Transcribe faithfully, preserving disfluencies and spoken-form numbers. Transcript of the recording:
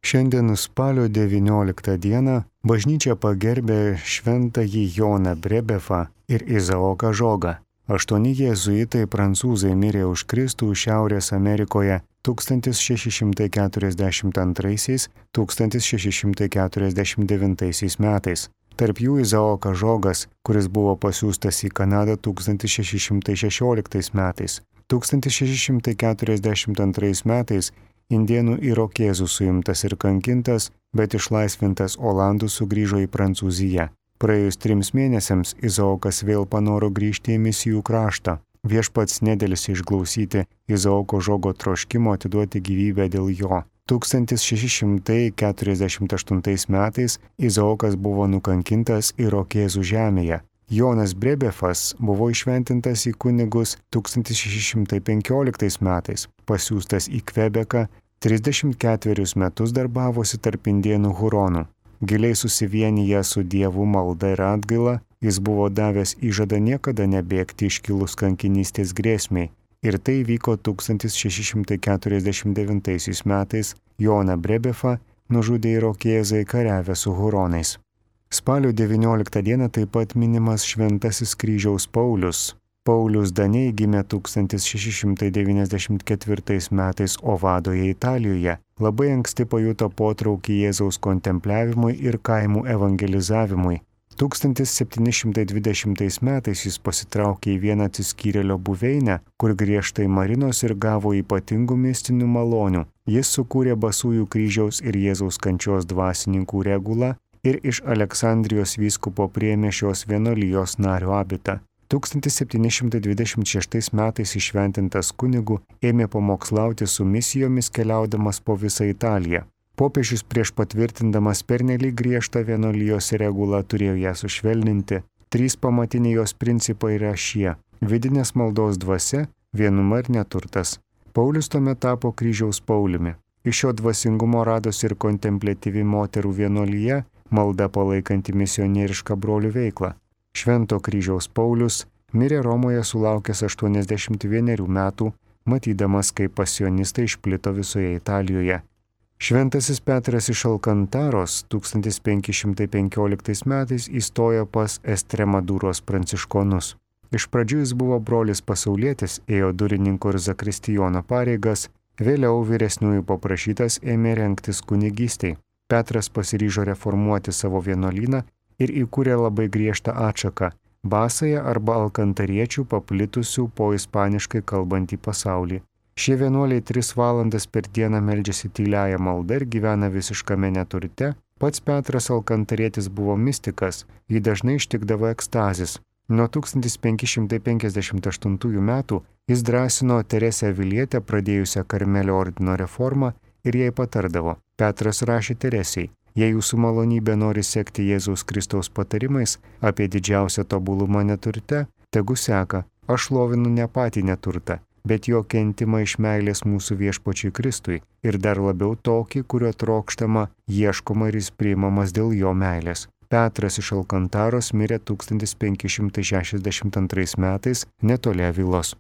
Šiandien spalio devynioliktą dieną bažnyčia pagerbė šventąjį Joną Brebefą ir Izaoką Žogą. Aštuoni jėzuitai prancūzai mirė už Kristų Šiaurės Amerikoje tūkstantis šeši šimtai keturiasdešimt antraisiais - tūkstantis šeši šimtai keturiasdešimt devintaisiais metais. Tarp jų Izaokas Žogas, kuris buvo pasiųstas į Kanadą tūkstantis šeši šimtai šešioliktais metais. tūkstantis šeši šimtai keturiasdešimt antrais metais indėnų irokėzų suimtas ir kankintas, bet išlaisvintas olandų sugrįžo į Prancūziją. Praėjus trims mėnesiams Izaokas vėl panoro grįžti į misijų kraštą. Viešpats nedėlisi išklausyti Izaoko Žogo troškimo atiduoti gyvybę dėl jo. tūkstantis šeši šimtai keturiasdešimt aštuntais metais Izaokas buvo nukankintas irokėzų žemėje. Jonas Brebefas buvo išventintas į kunigus tūkstantis šeši šimtai penkioliktais metais, pasiųstas į Kvebeką, trisdešimt ketverius metus darbavosi tarp indėnų huronų. Giliai susivienyje su Dievu malda ir atgaila, jis buvo davęs įžadą niekada nebėgti iškilus kankinystės grėsmiai. Ir tai vyko tūkstantis šeši šimtai keturiasdešimt devintaisiais metais, Joną Brebefą nužudė irokėzai kariavę su huronais. Spalio devynioliktą dieną taip pat minimas Šventasis Kryžiaus Paulius. Paulius Daniai gimė tūkstantis šeši šimtai devyniasdešimt ketvirtais metais Ovadoje, Italijoje. Labai anksti pajuto potraukį Jėzaus kontempliavimui ir kaimų evangelizavimui. tūkstantis septyni šimtai dvidešimtais metais jis pasitraukė į vieną atsiskyrėlio buveinę, kur griežtai marinos ir gavo ypatingų mistinių malonių. Jis sukūrė Basųjų kryžiaus ir Jėzaus kančios dvasininkų regulą ir iš Aleksandrijos vyskupo priėmė šios vienuolijos nario abitą. tūkstantis septyni šimtai dvidešimt šeštais metais išventintas kunigu ėmė pamokslauti su misijomis keliaudamas po visą Italiją. Popiežius prieš patvirtindamas pernelyg griežtą vienuolijos regulą turėjo ją sušvelninti. Trys pamatiniai jos principai yra šie - vidinės maldos dvasia, vienuma ir neturtas. Paulius tuomet tapo Kryžiaus Pauliumi. Iš šio dvasingumo radosi ir kontempliatyvi moterų vienuolija, malda palaikanti misionierišką brolių veiklą. Švento Kryžiaus Paulius mirė Romoje sulaukęs aštuoniasdešimt vienerių metų, matydamas, kaip pasionistai išplito visoje Italijoje. Šventasis Petras iš Alkantaros tūkstantis penki šimtai penkioliktais metais įstojo pas Estremadūros pranciškonus. Iš pradžių jis buvo brolis pasaulietis, ėjo durininko ir zakristijono pareigas, vėliau vyresniųjų paprašytas ėmė rengtis kunigystei. Petras pasiryžo reformuoti savo vienuolyną ir įkūrė labai griežtą atšaką – basąją arba alkantariečių paplitusių po ispaniškai kalbantį pasaulį. Šie vienuoliai tris valandas per dieną meldžiasi tyliąją maldą ir gyvena visiškame neturte. Pats Petras alkantarietis buvo mistikas, jį dažnai ištikdavo ekstazis. Nuo tūkstantis penki šimtai penkiasdešimt aštuntųjų metų jis drąsino Teresę Avilietę pradėjusią Karmelio ordino reformą ir jai patardavo. Petras rašė Teresei: jei jūsų malonybė nori sekti Jėzaus Kristaus patarimais apie didžiausią tobulumą neturte, tegu seka, aš šlovinu ne patį neturtą, bet jo kentimą iš meilės mūsų viešpačiui Kristui ir dar labiau tokį, kurio trokštama, ieškoma ir jis priimamas dėl jo meilės. Petras iš Alkantaros mirė tūkstantis penki šimtai šešiasdešimt antrais metais netoli Avilos.